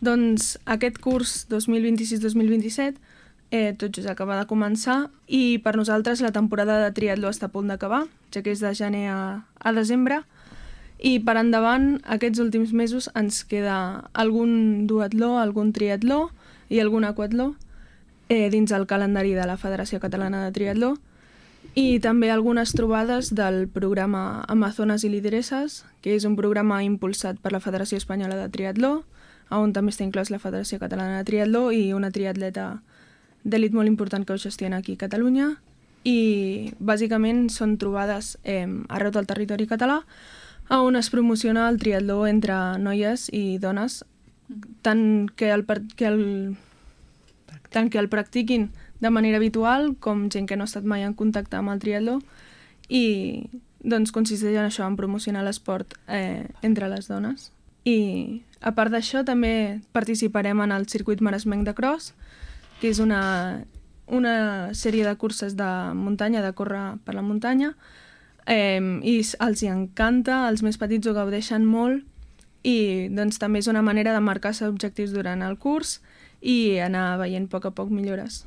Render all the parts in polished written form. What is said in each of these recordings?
Doncs aquest curs 2026-2027 tot just acaba de començar i per nosaltres la temporada de triatló està a punt d'acabar, ja que és de gener a desembre, i per endavant aquests últims mesos ens queda algun duatló, algun triatló i algun aquatló dins el calendari de la Federació Catalana de Triatló i també algunes trobades del programa Amazones i Lideresses, que és un programa impulsat per la Federació Espanyola de Triatló, on també està inclòs la Federació Catalana de Triatló i una triatleta d'elit molt important que ho gestiona aquí a Catalunya. I bàsicament són trobades arreu del territori català on es promociona el triatló entre noies i dones, tant que el practiquin de manera habitual com gent que no ha estat mai en contacte amb el triatló, i doncs consisteix en això, en promocionar l'esport entre les dones. I a part d'això també participarem en el circuit maresmenc de cross, que és una sèrie de curses de muntanya, de córrer per la muntanya, i els hi encanta, els més petits ho gaudeixen molt, i doncs també és una manera de marcar-se objectius durant el curs i anar veient a poc millores.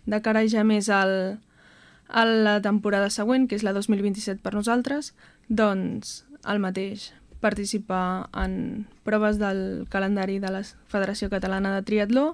De cara ja més a la temporada següent, que és la 2027 per nosaltres, doncs el mateix, participar en proves del calendari de la Federació Catalana de Triatló